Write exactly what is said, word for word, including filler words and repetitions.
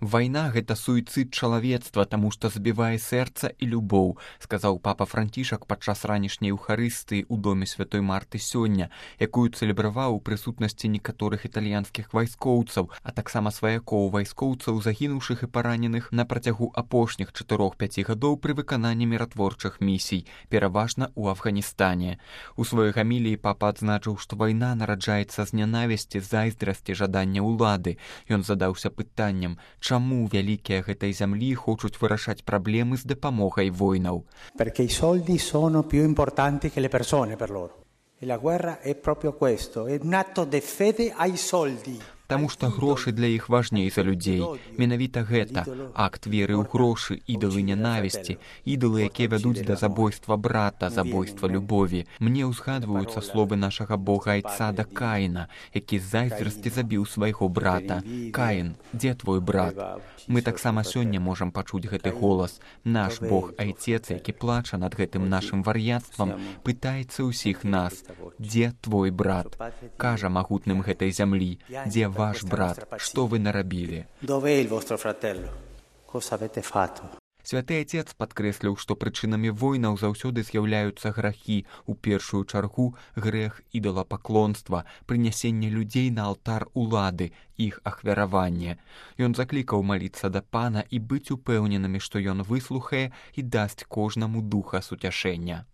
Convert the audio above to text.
Вайна — гэта суіцыд чалавецтва, таму што забівае сэрца і любоў, сказаў папа Францішак падчас ранішняй еўхарыстыі ў доме святой Марты сёння, якую цэлебраваў у прысутнасці некаторых італьянскіх вайскоўцаў, а таксама сваякоў вайскоўцаў, загінуўшых і параненых на працягу апошніх чатырох-пяці гадоў пры выкананні міратворчых місій, пераважна ў Афганістане. У сваёй гаміліі папа адзначыў, што вайна нараджаецца з нянавісці, зайздрасці, жадання ўлады. Ён задаўся пытаннем, чаму вялікія гэтай зямлі хочуць вырашаць праблемы з дапамогай воінаў. Perché i soldi sono più importanti che le persone per loro. E la guerra è proprio questo, è un atto di fede ai soldi. Таму што грошы для іх важней за людзей. Менавіта гэта акт веры ў грошы, ідалы нянавісці, ідалы, якія вядуць да забойства брата, забойства любові. Мне ўзгадваюцца словы нашага бога айца да Каіна, які з зайздрасці забіў свайго брата. Каін, дзе твой брат? Мы таксама сёння можам пачуць гэты голас. Наш бог айцец, які плача над гэтым нашым вар'яцтвам, пытаецца ўсіх нас: дзе твой брат? Кажа магутным гэтай зямлі: дзе ваш брат, што вы нарабілі? Святы Айцец падкрэсліў, што прычынамі войнаў заўсёды з'яўляюцца грахі, у першую чаргу грэх ідалапаклонства, прынясенне людзей на алтар улады, іх ахвяраванне. Ён заклікаў маліцца да Пана і быць упэўненымі, што ён выслухае і дасць кожнаму духа суцяшэння.